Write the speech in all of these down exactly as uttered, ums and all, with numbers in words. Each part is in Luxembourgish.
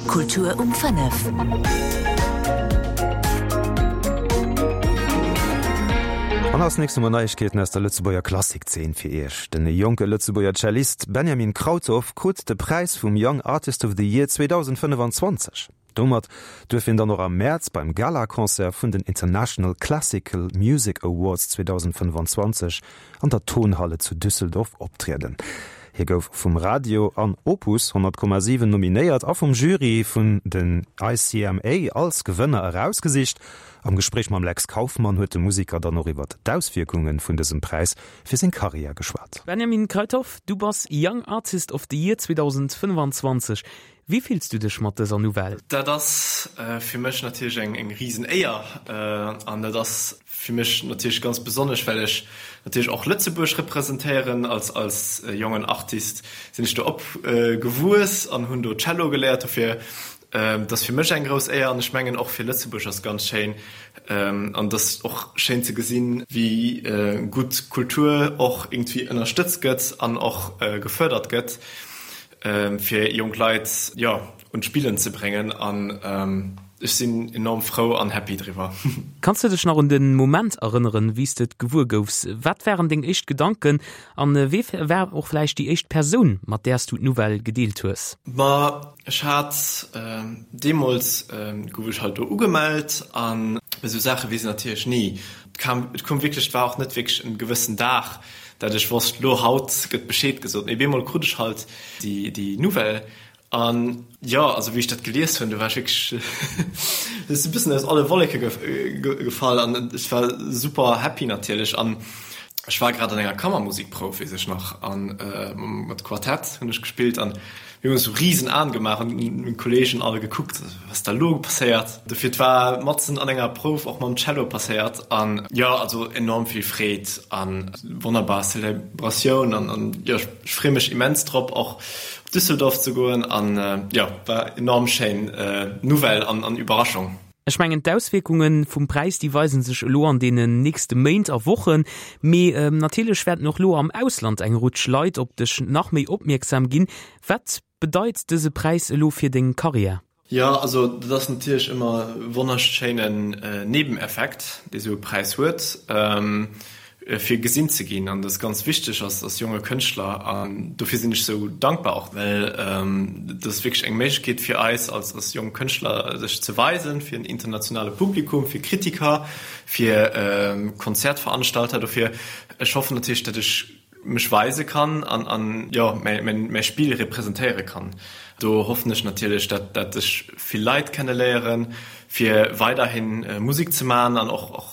Kultur um fënnef. An als nächst hu mer Neiegkeeten aus der Lëtzebuerger Klassikzeen fir Iech. Den jonke Lëtzebuerger Cellist Benjamin Krauthoff krut de Präis vum Young Artist of the Year zweedausendfënnefanzwanzeg. Domat duerf hien dann och am Mäerz beim Galaconcert vun den International Classical Music Awards zweedausendfënnefanzwanzeg an der Tonhalle zu Düsseldorf optrieden. Hie gouf vum Radio an Opus honnert Komma siwen nominéiert a vum Jury vun den I C M A als Gewënner erausgesicht. Am Gespréich mam Lex Kauffmann huet de Museker dann och iwwer d'Auswierkunge vun dësem Präis fir seng Karriär geschwat. Benjamin Kruithof, du bass Young Artist of the Year zweedausendfënnefanzwanzeg. Wéi fills du dech mat dëser Nouvelle? Dat ass fir mech natierlech eng eng risen Éier an dat ass fir mech natierlech ganz besonnesch, well ech natierlech och Lëtzebuerg representéieren. Als als jongen Artist sinn ech do opgewuess an hunn do Cello geléiert. Dofir dat ass fir mech eng grouss Éier an ech mengen och fir Lëtzebuerg ass ganz schéin an dat ass och schéin ze gesinn, wéi gutt Kultur och iergendwéi ënnerstëtzt gëtt an och gefërdert gëtt, fir jonk Leit, jo, un d'Spillen ze bréngen an ech sinn enorm frou an happy driwwer. Kanns du dech nach un den Moment erënneren, wéi s de et gewuer goufs? Wat waren deng éischt Gedanken an wie war och vläicht déi éischt Persoun, mat där s du d'Nouvelle gedeelt hues? Ma ech hat deemools, gouf ech halt do ugemellt an esou Saache weess een natierlech ni. Et kam, et koum wierklech, et war och net wierklech en gewëssen Dag, dat ech wosst, lo haut gëtt Bescheed gesot, mee bemol krut ech halt déi déi Nouvelle an jo, also wéi ech dat gelies hunn, do war ech wierklech e bëssen aus alle Wolleke gefall an ech war super happy natierlech an ech war grad an enger Kammermusikprouf, weess ech nach, an mat Quartett hunn ech gespillt an mir hunn esou risen Aen gemaach an meng Kolleegen all gekuckt, wat ass da lo passéiert. Dofir et war matzen an enger Prouf och mam Cello passéiert an jo, also enorm vill Freed an wonnerbar Celebratioun an an jo, ech freeë mech immens drop och op Düsseldorf ze goen an jo, war enorm schéin Nouvelle an an Überraschung. Ech mengen d'Auswierkunge vum Präis déi weisen sech elo an deenen nächste Méint a Wochen, mee natierlech wäerten och elo am Ausland eng Rutsch Leit op dech nach méi opmierksam ginn. Wat bedeit dëse Präis elo fir deng Karriär? Jo, also dat ass natierlech ëmmer e wonnerschéinen Nebeneffekt, dee sou e Präis huet, fir gesinn ze ginn. An dat ass ganz wichteg als als jonge Kënschtler. An dofir sinn ech sou dankbar och, well dat ass wierklech eng Méiglechkeet fir eis als als jonk Kënschtler, sech ze weisen fir en internationale Publikum, fir Kritiker, fir Konzertveranstalter. Dofir, ech hoffen natierlech, datt ech mech weise kann an an jo mäi mäi Spill representéiere kann. Do hoffen ech natierlech, dat dat ech vill Leit kenneléieren, fir weiderhi Musek ze man an och och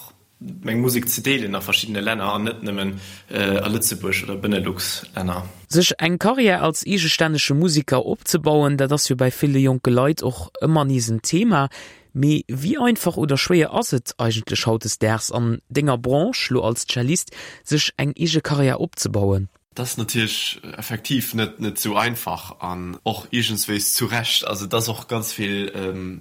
meng Musek ze deelen a verschiddene Länner an net nëmmen a Lëtzebuerg oder Benelux-Länner. Sech eng Karriär als eegestännege Museker opzebauen, dat ass jo bäi ville jonke Leit och ëmmer nees en Thema. Mee wéi einfach oder schwéier ass et eigentlech hautdesdaags an denger Branche, lo als Cellist, sech eng eege Karriär opzebauen? Dat ass natierlech effektiv net net sou einfach an och iergendswéis zu Recht. Also et ass och ganz vill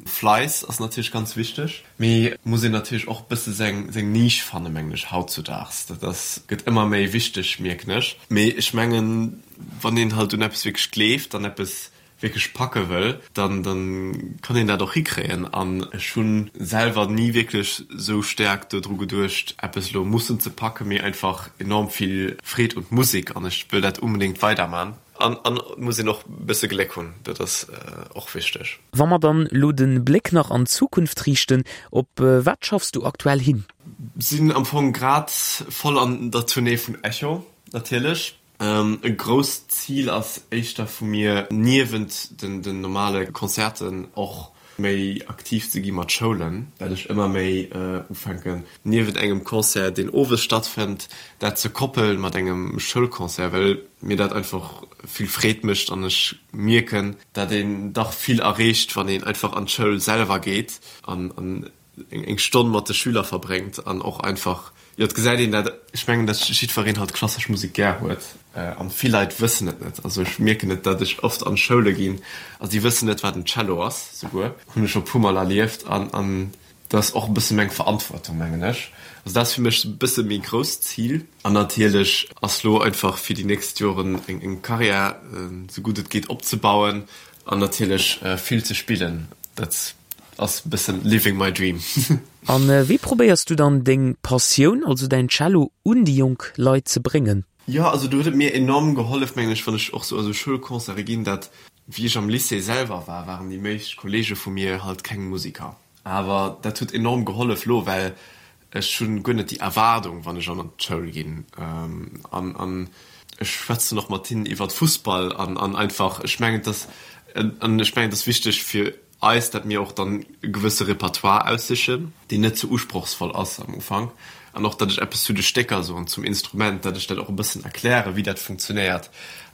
Fleiss ass natierlech ganz wichteg, mee et muss een natierlech och bësse seng seng Nisch fannen, mengen ech, hautzudaags. Dat ass gëtt ëmmer méi wichteg, mierken ech. Mee ech mengen, wann een halt un eppes wierklech gleeft an eppes wierklech packe wëll, dann dann kann een dat och hikréien. An ech hu selwer ni wierklech sou staark dodru geduecht, eppes elo mussen ze packen, mee einfach enorm vill Freed un d'Musek an ech wëll dat unbedéngt weiderman. An an et muss een och e bësse Gléck hunn, dat ass och wichteg. Wa mer dann elo de Bléck nach an d'Zukunft riichten, op wat schaffs du aktuell hin? Sinn am Fong grad voll an der Tournée vun Echo natierlech. E grousst Zil ass éischter vu mir, niewent den normale Concerten och méi aktiv ze gi mat Schoulen, well ech ëmmer méi ufänken, niewent engem Concert, deen owes stattfënnt, dat ze koppelen mat engem Schoulconcert, well mir dat einfach vill Freed mécht an ech mierken, dat een dach vill erreecht, wann een einfach an d'Schoul selwer geet an eng Stonn mat de Schüler verbréngt an och einfach, jo, et gesäit een dat, ech mengen, datt jiddwereen halt klassesch Musek gär huet an vill Leit wëssen et net. Also ech mierken et, datt ech oft an Schoule ginn a si wëssen net, wat en Cello ass, souguer hunn ech scho puer Mol erlieft an an dat ass och e bësse meng Verantwortung, mengen ech. Also dat ass fir mech e bësse méi grousst Zil. An natierlech ass lo einfach fir déi nächst Joren eng Karriär, sou gutt et geet, opzebauen. An natierlech vill ze spillen, dat ass e bëssen living my dream. An wéi probéiers du dann deng Passioun, also däin Cello, un déi jonk Leit ze bréngen? Jo, also do huet et mir enorm gehollef, mengen ech, wann ech och sou a sou Schoulconcerte ginn, dat wéi ech am Lycée selwer war, waren déi meescht Kollege vu mir halt keng Musiker. Awer dat huet enorm gehollef lo, well ech hunn guer net déi Erwaardung, wann ech an d'Schoul ginn. An an ech schwätzen och mat hinnen iwwert Fussball an an einfach, ech mengen, et ass an ech mengen, et ass wichteg fir eis, dat mir och dann e gewësse Repertoire aussichen, deen net ze usprochsvoll ass am Ufank, an och, datt ech eppes zu de Stécker soen, zum Instrument, datt ech dat och e bëssen erklären, wéi dat funktionéiert.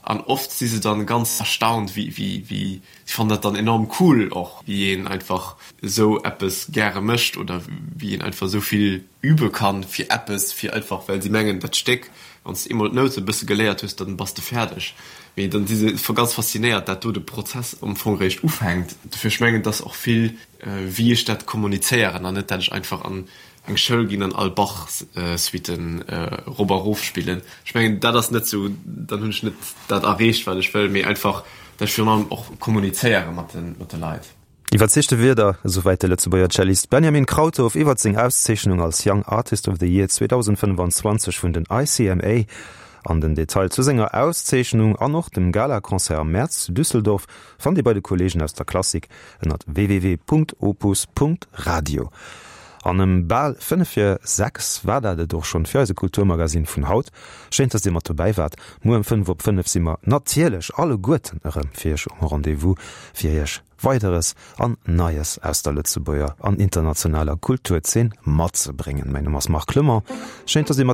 An oft si se dann ganz erstaunt, wéi, wéi, wéi, si fannen dat dann enorm cool och, wéi een einfach esou eppes gäre mécht oder wéi een einfach esou vill übe kann fir eppes, fir einfach, well si mengen, dat Stéck, wann s de eemol d'Noute e bësse geléiert hues, dann bass de fäerdeg. Mee dann si se ganz faszinéiert, dat do de Prozess am Fong réischt ufänkt. Dofir, ech mengen, et ass och vill, wéi ech dat kommunizéieren an net, dat ech einfach an eng Schoul ginn an all Bach-Suiten erop a rof spillen. Ech mengen, dat ass net esou, dann hunn ech net dat erreecht, wat ech wëll, mee einfach, dat ech virun allem och kommunizéiere mat de Leit. Iwwerzeegte Wierder, esouwäit de Lëtzebuerger Cellist Benjamin Krauthoff iwwert seng Auszeechnung als Young Artist of the Year zweedausendfënnefanzwanzeg vun den I C M A. An den Detail zu senger Auszeechnung an och dem Galaconcert am Mäerz zu Düsseldorf fannt Dir bei de Kolleegen aus der Klassik ënnert www.opus.radio. An ëm bal fënnef vir sechs war dat et och schonn fir eise Kulturmagasinn vun haut. Schéin, dass Dir mat dobäi waart. Muer ëm fënnef op fënnef si mer natierlech alleguerten erëm fir Iech um Rendez-vous, fir Iech Weideres an Neies aus der Lëtzebuerger an internationaler Kulturzeen matzebréngen. Mäin Numm ass Marc Clement. Schéin, dass Dir mat.